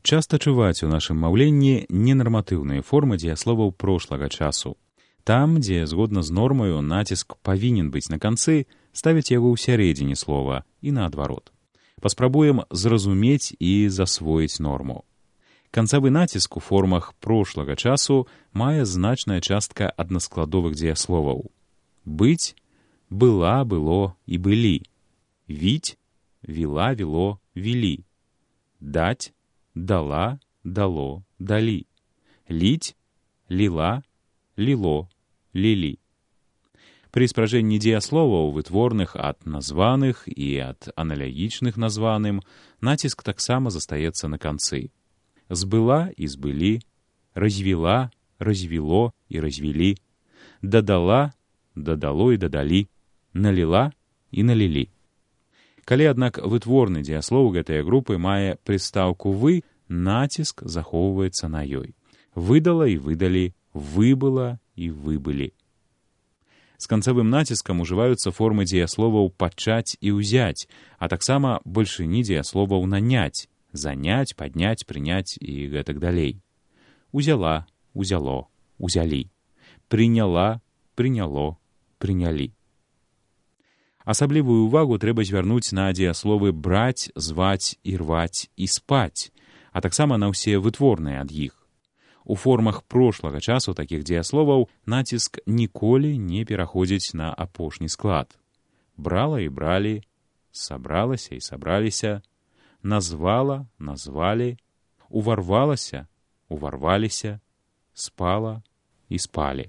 Часта чуваць у нашым маўленні ненарматыўныя формы дзеясловаў прошлага часу. Там, дзе, згодна з нормаю, націск павінен быць на канцы, ставяць яго ў сярэдзіне слова і наадварот. Паспрабуем зразумець і засвоіць норму. Канцавы націск у формах прошлага часу мае значная частка аднаскладовых дзеясловаў. Быць, была, было і былі. Віць, віла, віло, вілі. Даць, дала, дало, далі. Ліць, ліла, ліло, лілі. Пры спражэнні дзеясловаў, вытворных ад названых і ад аналагічных названым, націск таксама застаецца на канцы. Збыла і збылі, развіла, развіло і развілі, дадала, дадало і дадалі, наліла і налілі. Калі, аднак, вытворны дзеяслоў гэтай групы мае прыстаўку «вы», націск захоўваецца на ёй. Выдала і выдалі, выбыла і выбылі. З канцавым націскам ужываюцца формы дзеясловаў «пачаць» і «узяць», а таксама бальшыні дзеясловаў «наняць», «заняць», «падняць», «прыняць» і гэтак далей. Узяла, узяло, узялі. Прыняла, прыняло, прынялі. Асаблівую ўвагу трэба звярнуць на дзеясловы браць, зваць, ірваць і спаць, а таксама на ўсе вытворныя ад іх. У формах прошлага часу такіх дзеясловаў націск ніколі не пераходзіць на апошні склад. Брала і бралі, сабралася і сабраліся, назвала, назвалі, уварвалася, уварваліся, спала і спалі.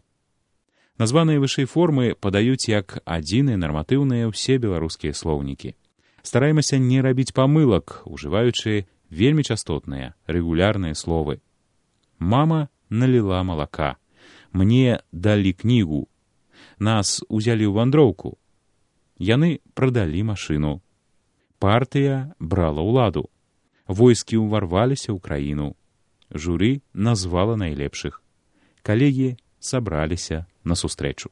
Названыя вышэй формы падаюць як адзіныя нарматыўныя ўсе беларускія слоўнікі. Стараемся не рабіць памылак, ужываючы вельмі частотныя, рэгулярныя словы. Мама наліла малака. Мне далі кнігу. Нас узялі ў вандроўку. Яны прадалі машыну. Партыя брала ўладу. Войскі ўварваліся ў краіну. Журы назвала найлепшых. Калегі сабраліся на сустрэчу.